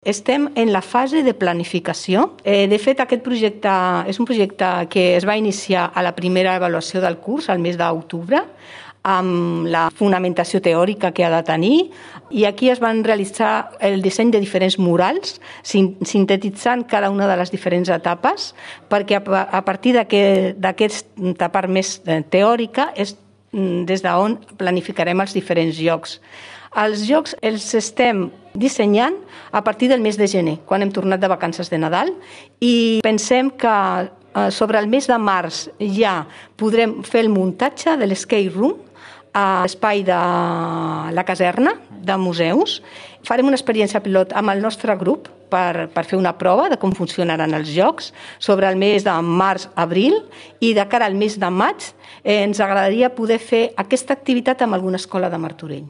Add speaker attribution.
Speaker 1: Estem en la fase de planificació. De fet, aquest projecte és un projecte que es va iniciar a la primera avaluació del curs, al mes d'octubre, amb la fonamentació teòrica que ha de tenir, i aquí es van realitzar el disseny de diferents murals, sintetitzant cada una de les diferents etapes, perquè a partir d'aquesta part més teòrica és des d'on planificarem els diferents jocs. Els jocs els estem dissenyant a partir del mes de gener, quan hem tornat de vacances de Nadal, i pensem que sobre el mes de març ja podrem fer el muntatge de l'escape room a l'espai de la caserna de museus. Farem una experiència pilot amb el nostre grup per fer una prova de com funcionaran els jocs sobre el mes de març-abril, i de cara al mes de maig ens agradaria poder fer aquesta activitat amb alguna escola de Martorell.